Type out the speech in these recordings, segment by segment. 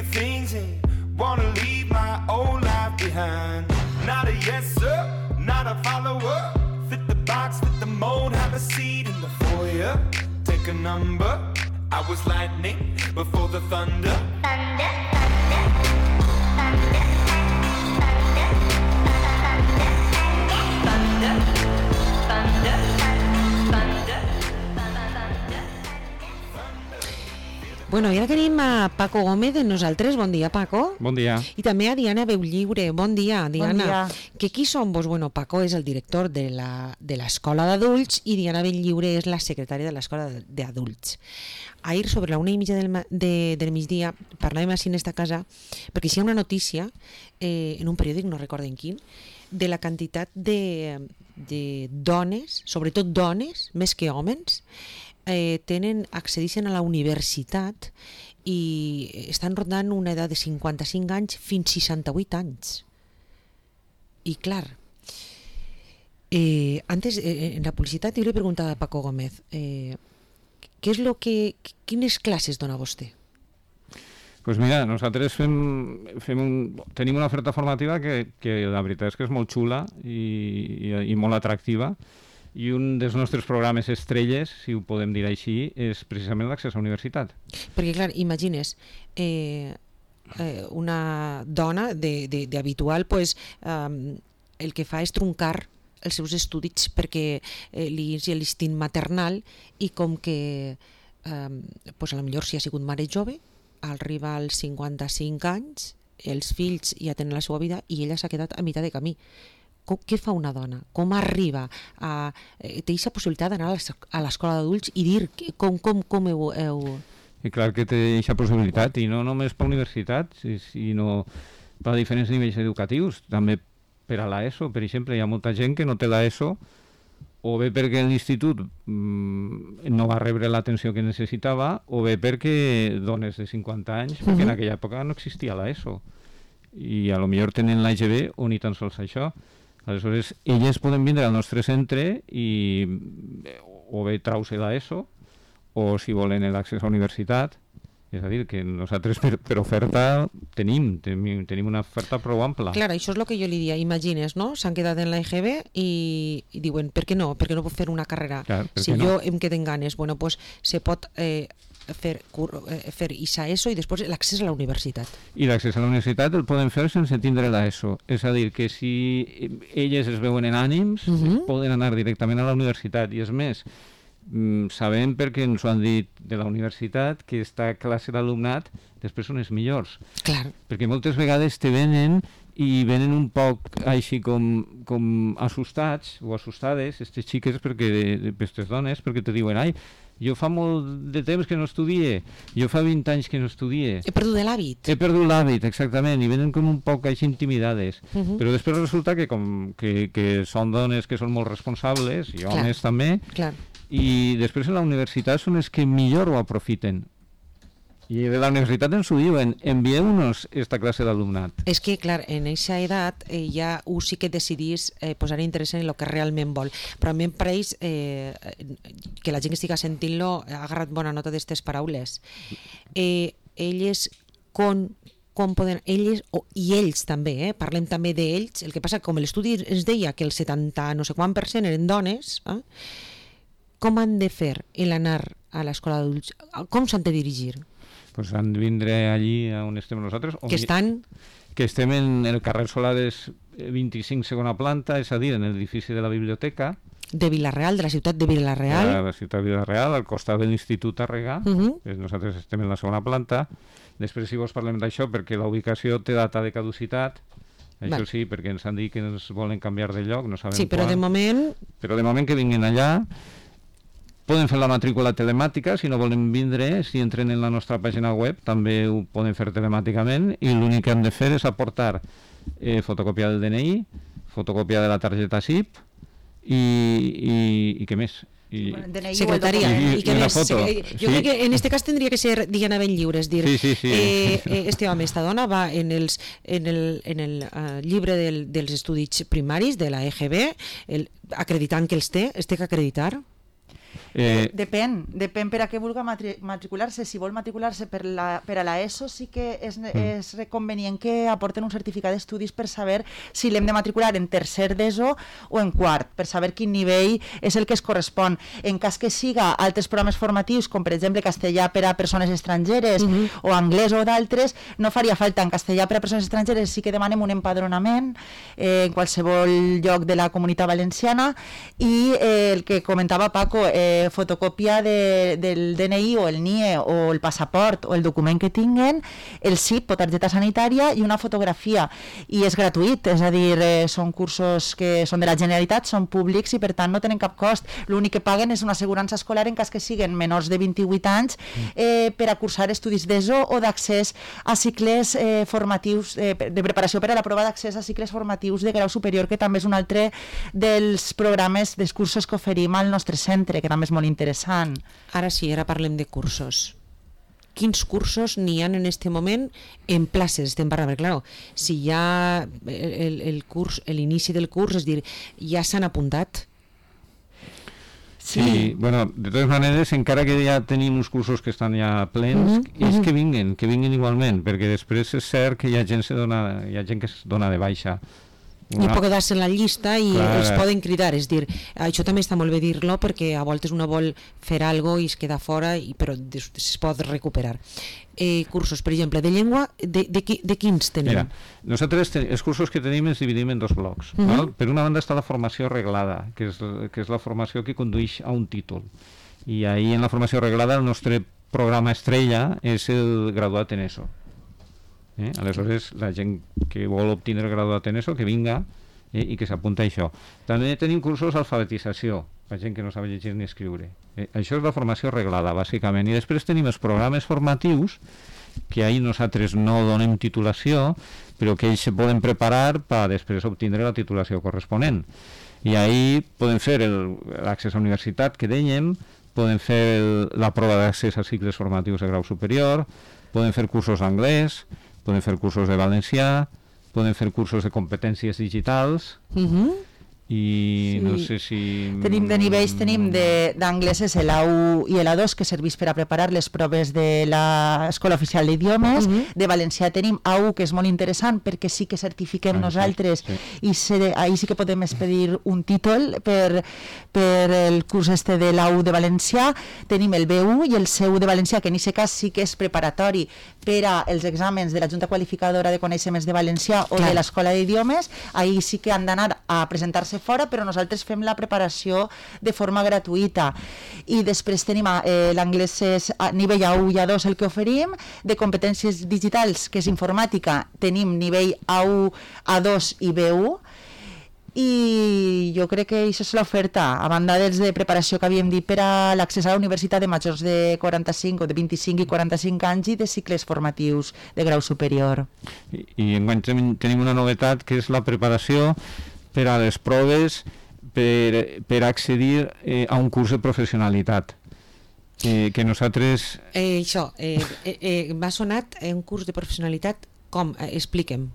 few things and wanna leave my old life behind. Not a yes sir, not a follower. Fit the box, fit the mold, have a seat in the foyer. Take a number. I was lightning before the thunder. Thunder, thunder, thunder, thunder, thunder, thunder, thunder, thunder. Bueno, i ara tenim a Paco Gómez de nosaltres. Bon dia, Paco. Bon dia. I també a Diana Beulliure. Bon dia, Diana. Bon dia. Que qui som vos? Bueno, Paco és el director de l'escola d'adults i Diana Beulliure és la secretària de l'escola d'adults. Ahir, sobre la 1:30 del migdia, parlàvem així en esta casa, perquè hi ha una notícia en un periòdic, no recordo en quin, de la quantitat de dones, sobretot dones, més que homes, accedeixen a la universitat i estan rondant una edat de 55 anys fins 68 anys. I clar, antes en la publicitat jo li preguntava a Paco Gómez quines classes dona vostè? Pues mira, nosaltres tenim una oferta formativa que la veritat és que és molt xula i molt atractiva, i un dels nostres programes estrelles, si ho podem dir així, és precisament l'accés a la universitat. Perquè clar, imagines una dona d'habitual, pues, el que fa és truncar els seus estudis perquè li és l'instint maternal, i com que pues a lo millor si ha sigut mare jove, arriba als 55 anys, els fills ja tenen la seva vida i ella s'ha quedat a meitat de camí. Què fa una dona? Com arriba a... té aquesta possibilitat d'anar a l'escola d'adults i dir com heu... I clar que té aquesta possibilitat, i no només per la universitat, sinó per a diferents nivells educatius. També per a l'ESO, per exemple, hi ha molta gent que no té l'ESO, o bé perquè l'institut no va rebre l'atenció que necessitava, o bé perquè dones de 50 anys, perquè en aquella època no existia l'ESO, i a lo millor tenen l'EGB o ni tan sols això. Aleshores, elles poden vindre al nostre centre i o bé trau-se l'ESO, o si volen l'accés a la universitat. És a dir, que nosaltres per oferta tenim una oferta prou ampla. Clar, això és el que jo li dia. Imagines, no? S'han quedat en l'EGB i diuen, per què no? Per què no puc fer una carrera? Clar, si jo em queden ganes, bueno, pues se pot fer ISA-ESO i després l'accés a la universitat. I l'accés a la universitat el poden fer sense tindre l'ESO. És a dir, que si elles es veuen en ànims, poden anar directament a la universitat. I és més, sabem, perquè ens ho han dit de la universitat, que aquesta classe d'alumnat després són els millors. Clar. Perquè moltes vegades te venen i venen un poc així com assustats o assustades, aquestes xiques, aquestes dones, perquè te diuen, ai, jo fa molt de temps que no estudie, jo fa 20 anys que no estudie. He perdut l'hàbit. He perdut l'hàbit, exactament, i venen com un poc així intimidades. Però després resulta que són dones que són molt responsables, i homes també, i després en la universitat són els que millor ho aprofiten. I de la universitat ens ho diuen, envieu-nos aquesta classe d'alumnat. És que, clar, en aquesta edat ja sí que decidís posar interès en el que realment vol. Però a mi em pareix que la gent que estigui sentint-lo ha agarrat bona nota d'aquestes paraules. Elles, com poden, elles i ells també, parlem també d'ells, el que passa que com l'estudi ens deia que el 70 no sé quant % eren dones, com han de fer l'anar a l'escola d'adults? Com s'han de dirigir? Pues han de vindre allí on estem nosaltres. Que estan? Que estem en el carrer Solades 25, segona planta, és a dir, en l'edifici de la biblioteca. De Vila-real, de la ciutat de Vila-real. De la ciutat de Vila-real, al costat de l'Institut Tàrrega. Nosaltres estem en la segona planta. Després, si vols, parlem d'això, perquè la ubicació té data de caducitat. Això sí, perquè ens han dit que ens volen canviar de lloc, no sabem quan. Sí, però de moment... Però de moment que vinguin allà. Poden fer la matrícula telemàtica, si no volen vindre, si entren en la nostra pàgina web, també ho poden fer telemàticament, i l'únic que han de fer és aportar fotocòpia del DNI, fotocòpia de la targeta SIP, i què més? Secretaria. I què més? Jo crec que en aquest cas tindria que ser Diana Beulliure, és dir, este home, esta dona va en el llibre dels estudis primaris de la EGB, acreditant que els té que acreditar. Depèn per a què vulgui matricular-se. Si vol matricular-se per a l'ESO sí que és convenient que aporten un certificat d'estudis per saber si l'hem de matricular en tercer d'ESO o en quart, per saber quin nivell és el que es correspon. En cas que siga altres programes formatius, com per exemple castellà per a persones estrangeres o anglès o d'altres, no faria falta. En castellà per a persones estrangeres sí que demanem un empadronament en qualsevol lloc de la Comunitat Valenciana, i el que comentava Paco, fotocòpia del DNI o el NIE o el passaport o el document que tinguen, el CIP o targeta sanitària i una fotografia, i és gratuït, és a dir, són cursos que són de la Generalitat, són públics i per tant no tenen cap cost. L'únic que paguen és una assegurança escolar en cas que siguin menors de 28 anys per a cursar estudis d'ESO o d'accés a cicles formatius, de preparació per a la prova d'accés a cicles formatius de grau superior, que també és un altre dels programes, dels cursos que oferim al nostre centre, que també és molt interessant. Ara sí, ara parlem de cursos. Quins cursos n'hi ha en aquest moment en places? Estem parlant, perquè clar, si ja l'inici del curs, és dir, ja s'han apuntat? Sí, bueno, de totes maneres, encara que ja tenim uns cursos que estan ja plens, és que vinguin igualment, perquè després és cert que hi ha gent que es dona de baixa. I pot quedar-se en la llista i els poden cridar, és dir, això també està molt bé dir-lo, perquè a voltes una vol fer alguna cosa i es queda fora, però es pot recuperar. Cursos, per exemple, de llengua, de quins tenim? Mira, nosaltres els cursos que tenim els dividim en dos blocs. Per una banda està la formació reglada, que és la formació que condueix a un títol, i ahir en la formació reglada el nostre programa estrella és el graduat en ESO. Aleshores, la gent que vol obtenir el graduat en ESO, que vinga i que s'apunta a això. També tenim cursos d'alfabetització, la gent que no sap llegir ni escriure. Això és la formació reglada, bàsicament. I després tenim els programes formatius, que ahir nosaltres no donem titulació, però que ells se poden preparar per després obtindre la titulació corresponent. I ahir podem fer l'accés a universitat, que dèiem, podem fer la prova d'accés a cicles formatius de grau superior, podem fer cursos d'anglès, podem fer cursos de valencià, podem fer cursos de competències digitals, i no sé si... Tenim de nivells, tenim d'anglès és l'A1 i l'A2, que serveix per a preparar les proves de l'Escola Oficial d'Idiomes. De valencià tenim A1, que és molt interessant perquè sí que certifiquem nosaltres, i ahí sí que podem expedir un títol per el curs de l'A1 de valencià. Tenim el B1 i el C1 de valencià, que en aquest cas sí que és preparatori per als exàmens de la Junta Qualificadora de Coneixements de Valencià o de l'Escola d'Idiomes. Ahí sí que han d'anar a presentar-se fora, però nosaltres fem la preparació de forma gratuïta. I després tenim l'anglès és nivell A1 i A2 el que oferim. De competències digitals, que és informàtica, tenim nivell A1, A2 i B1, i jo crec que això és l'oferta, a banda dels de preparació que havíem dit per a l'accés a la universitat de majors de 45 o de 25 i 45 anys i de cicles formatius de grau superior. I enguany tenim una novetat, que és la preparació per a les proves per accedir a un curs de professionalitat. Que nosaltres... Això, m'ha sonat un curs de professionalitat, com? Expliquem.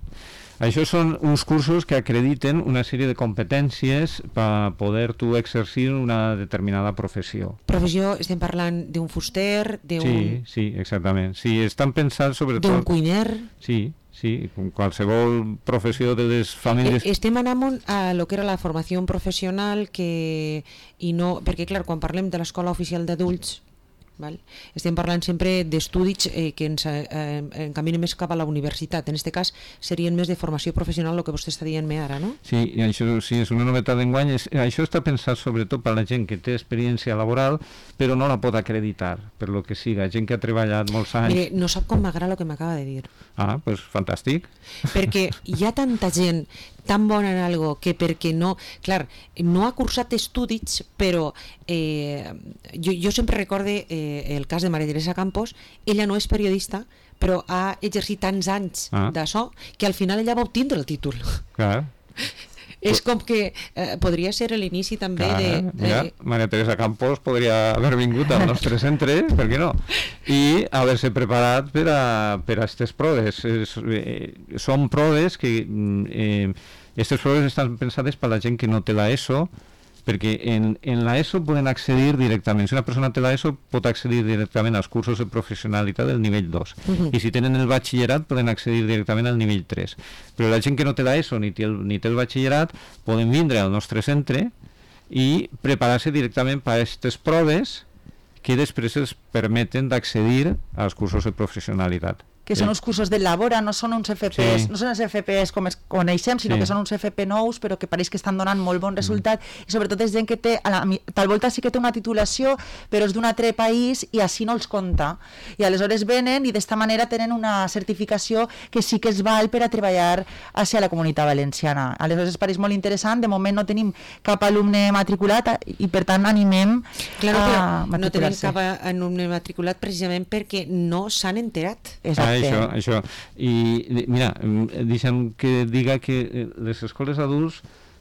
Això són uns cursos que acrediten una sèrie de competències per poder tu exercir una determinada professió. Professió, estem parlant d'un fuster, d'un... Sí, exactament. Sí, estan pensats sobretot... D'un cuiner... Sí, com qualsevol professió de les famílies... Estem anant a lo que era la formació professional, i no... Perquè, clar, quan parlem de l'Escola Oficial d'Adults, estem parlant sempre d'estudis que ens encaminen més cap a la universitat. En aquest cas serien més de formació professional, el que vostè està dient-me ara, no? Sí, i això sí, és una novetat d'enguany. Això està pensat sobretot per la gent que té experiència laboral però no la pot acreditar, per lo que siga, gent que ha treballat molts anys. Mire, no sap com m'agrada el que m'acaba de dir. Ah, doncs fantàstic. Perquè hi ha tanta gent tan bona en algo que perquè no... Clar, no ha cursat estudis, però jo sempre recorde el cas de Maria Teresa Campos. Ella no és periodista, però ha exercit tants anys d'això que al final ella va obtindre el títol. Clar. És com que podria ser l'inici també de... Mira, Maria Teresa Campos podria haver vingut al nostre centre, per què no? I haver-se preparat per a aquestes proves. Són proves que... Aquestes proves estan pensades per la gent que no té l'ESO, perquè en l'ESO poden accedir directament. Si una persona té l'ESO pot accedir directament als cursos de professionalitat del nivell 2. I si tenen el batxillerat poden accedir directament al nivell 3. Però la gent que no té l'ESO ni té el batxillerat poden vindre al nostre centre i preparar-se directament per a aquestes proves que després els permeten d'accedir als cursos de professionalitat. Que són uns cursos de Labora, no són uns FPs, no són els FPs com els coneixem, sinó que són uns FP nous, però que pareix que estan donant molt bon resultat, i sobretot és gent que té, tal volta sí que té una titulació, però és d'un altre país i així no els compta. I aleshores venen i d'esta manera tenen una certificació que sí que es val per a treballar hacia la Comunitat Valenciana. Aleshores pareix molt interessant, de moment no tenim cap alumne matriculat i per tant animem a matricular-se. No tenim cap alumne matriculat precisament perquè no s'han enterat. Exacte. Això. I mira, deixa'm que diga que les escoles adults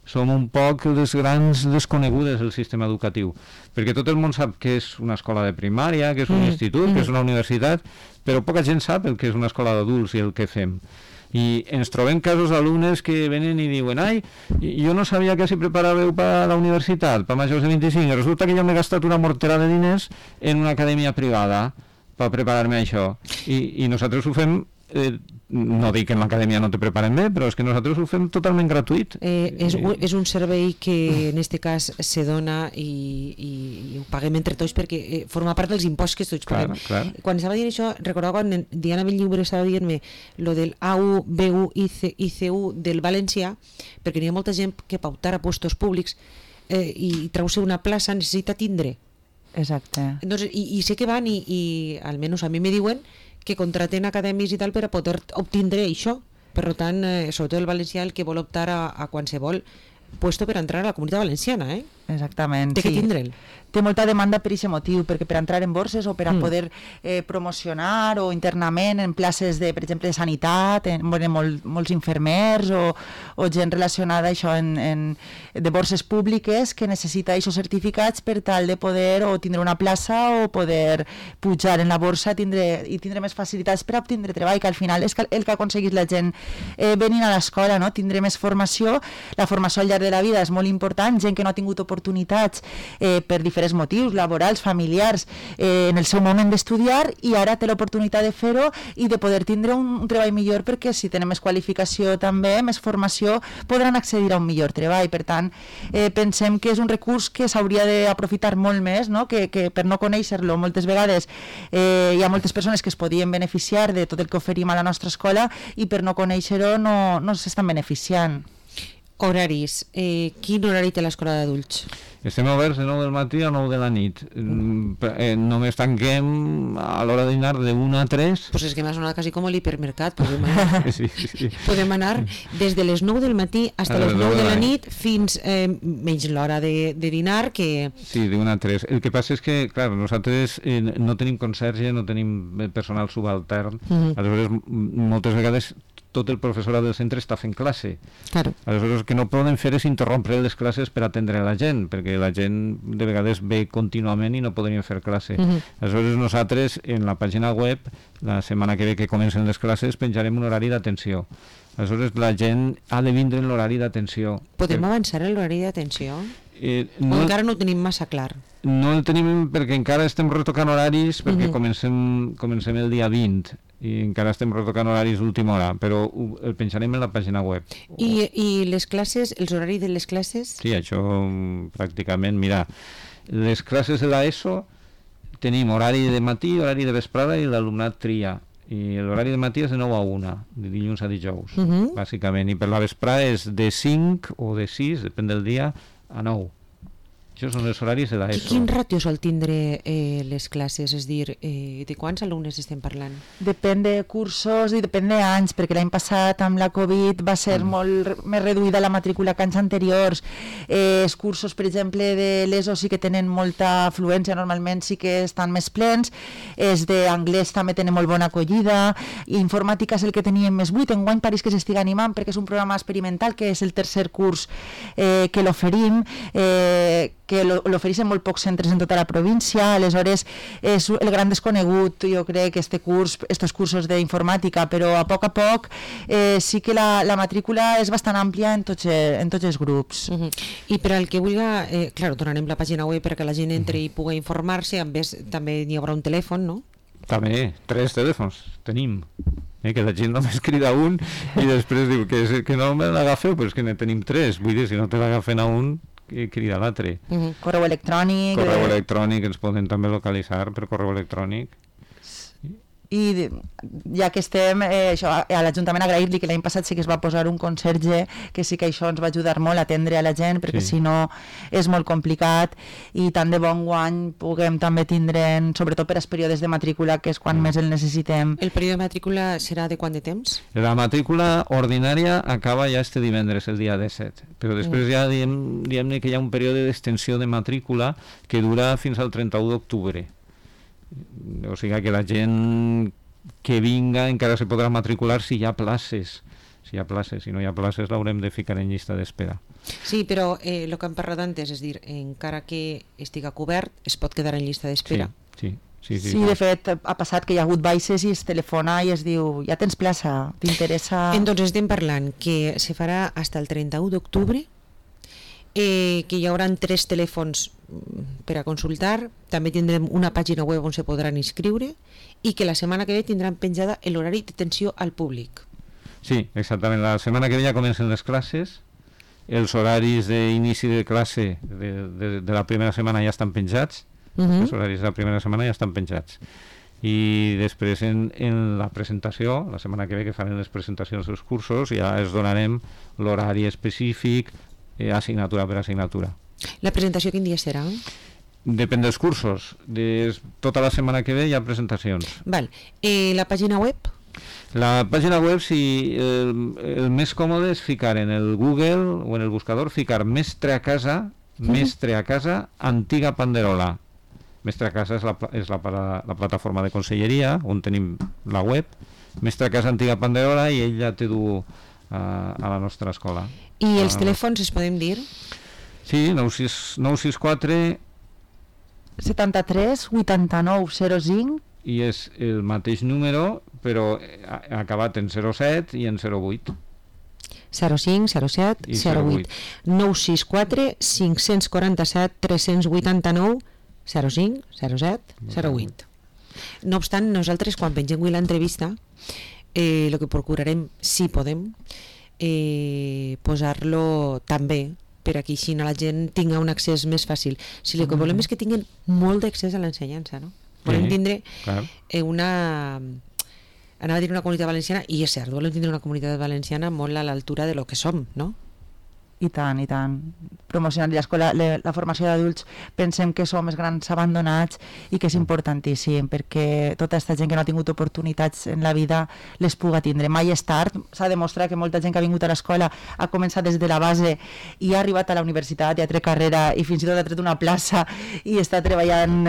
som un poc les grans desconegudes del sistema educatiu, perquè tot el món sap què és una escola de primària, què és un institut, què és una universitat, però poca gent sap el que és una escola d'adults i el que fem. I ens trobem casos d'alumnes que venen i diuen ai, jo no sabia que s'hi preparàveu per a la universitat, per majors de 25, i resulta que jo m'he gastat una mortera de diners en una acadèmia privada per preparar-me a això. I nosaltres ho fem, no dic que en l'acadèmia no te preparen bé, però és que nosaltres ho fem totalment gratuït. És un servei que en aquest cas se dona i ho paguem entre tots perquè forma part dels imposts que tots paguem. Clar. Quan estava dient això, recordava quan Diana Bellliure estava dient-me lo del AU, BU, ICU del valencià, perquè hi ha molta gent que pautar a puestos públics i treu-se una plaça necessita tindre. Exacte. Entonces, i sé que van i almenys a mi me diuen que contraten acadèmies i tal per a poder obtindre això. Per tant, sobretot el valencià, el que vol optar a qualsevol puesto per entrar a la Comunitat Valenciana, Exactament. Té que tindre'l. Té molta demanda per aquest motiu, perquè per entrar en borses o per a poder promocionar o internament en places de, per exemple, de sanitat, molts infermers o gent relacionada això de borses públiques que necessita aquests certificats per tal de poder o tindre una plaça o poder pujar en la borsa i tindre més facilitats per a obtindre treball, que al final és el que ha aconseguit la gent venint a l'escola, no? Tindre més formació. La formació al llarg de la vida és molt important, gent que no ha tingut oportunitats per diferents motius, laborals, familiars, en el seu moment d'estudiar, i ara té l'oportunitat de fer-ho i de poder tindre un treball millor, perquè si tenen més qualificació també, més formació, podran accedir a un millor treball. Per tant, pensem que és un recurs que s'hauria d'aprofitar molt més, no? Que per no conèixer-lo moltes vegades hi ha moltes persones que es podien beneficiar de tot el que oferim a la nostra escola i per no conèixer-ho no s'estan beneficiant. Horaris. Quin horari té l'escola d'adults? Estem oberts de 9 del matí a 9 de la nit. Només tanquem a l'hora de dinar de 1 a 3. Pues és que m'ha sonat quasi com l'hipermercat. Podem anar des de les 9 del matí fins a les 9 de la nit fins menys l'hora de dinar que... Sí, de 1 a 3. El que passa és que, clar, nosaltres no tenim conserge, no tenim personal subaltern. Aleshores, moltes vegades tot el professorat del centre està fent classe. Claro. Aleshores, el que no poden fer és interrompre les classes per atendre la gent, perquè la gent de vegades ve contínuament i no podrien fer classe. Aleshores, nosaltres, en la pàgina web, la setmana que ve que comencen les classes, penjarem un horari d'atenció. Aleshores, la gent ha de vindre en l'horari d'atenció. Podem avançar en l'horari d'atenció? No, encara no ho tenim massa clar? No el tenim perquè encara estem retocant horaris, perquè comencem el dia 20 i encara estem retocant horaris d'última hora, però el penjarem en la pàgina web. I les classes, els horaris de les classes? Sí, això pràcticament, mira, les classes de l'ESO tenim horari de matí, horari de vesprada i l'alumnat tria. I l'horari de matí és de 9 a 1, de dilluns a dijous, bàsicament, i per la vesprada és de 5 o de 6, depèn del dia, a 9. Això són els horaris de l'ESO. Quin ràtio sol tindre les classes? És dir, de quants alumnes estem parlant? Depèn de cursos i depèn d'anys, perquè l'any passat amb la Covid va ser molt més reduïda la matrícula que anys anteriors. Els cursos, per exemple, de l'ESO sí que tenen molta afluència, normalment sí que estan més plens. Els d'anglès també tenen molt bona acollida. I informàtica és el que teníem més buit. Enguany pareix que s'estiga animant perquè és un programa experimental, que és el tercer curs que l'oferim, que l'ofereixen molt pocs centres en tota la província, aleshores és el gran desconegut, jo crec, estos cursos d'informàtica, però a poc sí que la matrícula és bastant àmplia en tots els grups. I per al que vulgui, clar, donarem la pàgina web perquè la gent entri i pugui informar-se, a més també hi haurà un telèfon, no? També, 3 telèfons tenim, que la gent només crida un i després diu que no me l'agafeu, però és que ne tenim 3, vull dir, si no te l'agafen a un, crida l'altre. Correu electrònic, ens poden també localitzar per correu electrònic. I ja que estem, això, a l'Ajuntament agrair-li que l'any passat sí que es va posar un conserge, que sí que això ens va ajudar molt a atendre a la gent, perquè si no és molt complicat, i tant de bon guany puguem també tindre, sobretot per als períodes de matrícula, que és quan més el necessitem. El període de matrícula serà de quant de temps? La matrícula ordinària acaba ja este divendres, el dia 17, però després ja diem que hi ha un període d'extensió de matrícula que dura fins al 31 d'octubre. O sigui que la gent que vinga encara se podrà matricular si hi ha places. Si no hi ha places l'haurem de ficar en llista d'espera. Sí, però el que hem parlat antes, és dir, encara que estiga cobert, es pot quedar en llista d'espera. Sí, de fet, ha passat que hi ha hagut baixes i es telefona i es diu, ja tens plaça, t'interessa... Entonces estem parlant que se farà fins el 31 d'octubre, que hi haurà 3 telèfons per a consultar, també tindrem una pàgina web on se podran inscriure i que la setmana que ve tindran penjada l'horari d'atenció al públic. Sí, exactament, la setmana que ve ja comencen les classes, els horaris d'inici de classe de la primera setmana ja estan penjats, els horaris de la primera setmana ja estan penjats, i després en la presentació, la setmana que ve que faran les presentacions dels cursos, ja els donarem l'horari específic, assignatura per assignatura. La presentació quin dia serà? Depèn dels cursos. Tota la setmana que ve hi ha presentacions. Val. La pàgina web? La pàgina web, si el més còmode és ficar en el Google o en el buscador, ficar Mestre a casa, Antiga Panderola. Mestre a casa és la plataforma de conselleria on tenim la web. Mestre a casa, Antiga Panderola, i ell ja te du a la nostra escola. I els telèfons es podem dir? Sí, 964 73 89 05, i és el mateix número però acabat en 07 i en 08. 05, 07, 08. 964 547 389 05, 07, 08. No obstant, nosaltres quan pengem l'entrevista el que procurarem, si podem, posar-lo també per aquí així la gent tinga un accés més fàcil. Si el que volem és que tinguin molt d'accés a l'ensenyança, no? Volem tindre una comunitat valenciana, i és cert, volem tindre una comunitat valenciana molt a l'altura de lo que som, no? I tant. Promocionar l'escola, la formació d'adults, pensem que som els grans abandonats i que és importantíssim perquè tota aquesta gent que no ha tingut oportunitats en la vida les puga tindre. Mai és tard, s'ha demostrat que molta gent que ha vingut a l'escola ha començat des de la base i ha arribat a la universitat i ha tret carrera i fins i tot ha tret una plaça i està treballant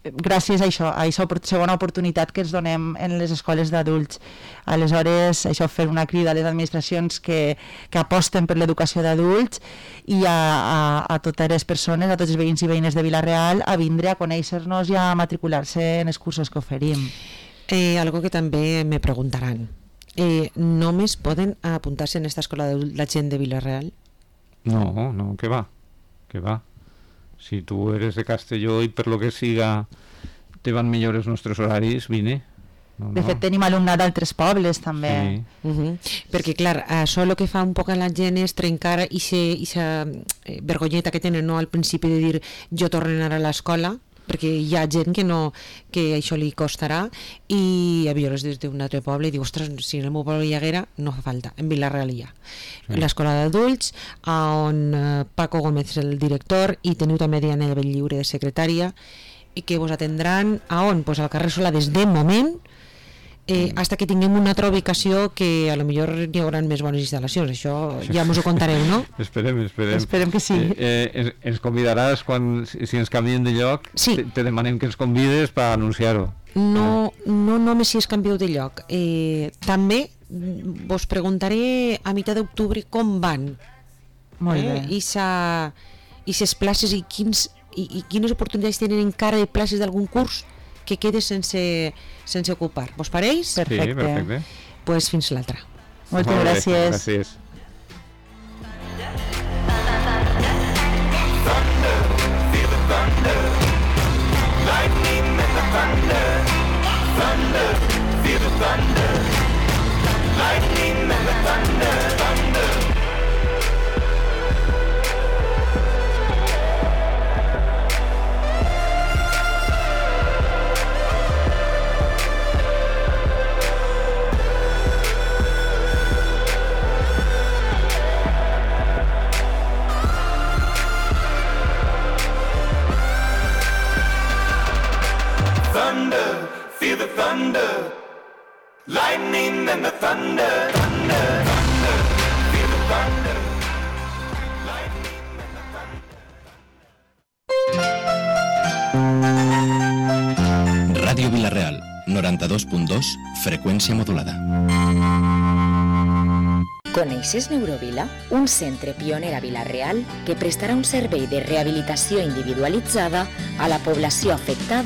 gràcies a aquesta segona oportunitat que ens donem en les escoles d'adults. Aleshores, això, fer una crida a les administracions que aposten per l'educació d'adults i a totes les persones, a tots els veïns i veïnes de Vila-real, a vindre a conèixer-nos i a matricular-se en els cursos que oferim. Algo que també me preguntaran. ¿Només poden apuntar-se en esta escola d'adults la gent de Vila-real? No, que va. Si tu eres de Castelló i per lo que siga te van millor els nostres horaris, vine. De fet, tenim alumnat d'altres pobles, també. Perquè, clar, això el que fa un poc a la gent és trencar aquesta vergonyeta que tenen al principi de dir jo torno a anar a l'escola, perquè hi ha gent que això li costarà, i a millor des d'un altre poble i diu, ostres, si en el meu poble hi haguera, no fa falta, en Vila-real hi ha. L'escola d'adults, on Paco Gómez és el director, i teniu també Diana Belllliure de secretària, i que vos atendran a on? Pues al carrer Solà des de moment, hasta que tinguem una altra ubicació que a lo millor hi haurà més bones instal·lacions. Això ja mos ho contareu, no? Esperem que sí. Ens convidaràs quan, si ens canviem de lloc, te demanem que ens convides per anunciar-ho. No només si es canvieu de lloc. També vos preguntaré a mitjà d'octubre com van. Molt bé. I aquestes places i quines oportunitats tenen encara de places d'algun curs que quede sense ocupar. Vos pareix? Perfecte. Sí, perfecte. Pues fins l'altra. Moltes Molt bé, gràcies. Gràcies. Thunder, feel the thunder, lightning and the thunder, thunder, thunder, feel the thunder, lightning and the thunder. Ràdio Vila-real, 92.2, freqüència modulada. Coneixes Neurovila? Un centre pioner a Vila-real que prestarà un servei de rehabilitació individualitzada a la població afectada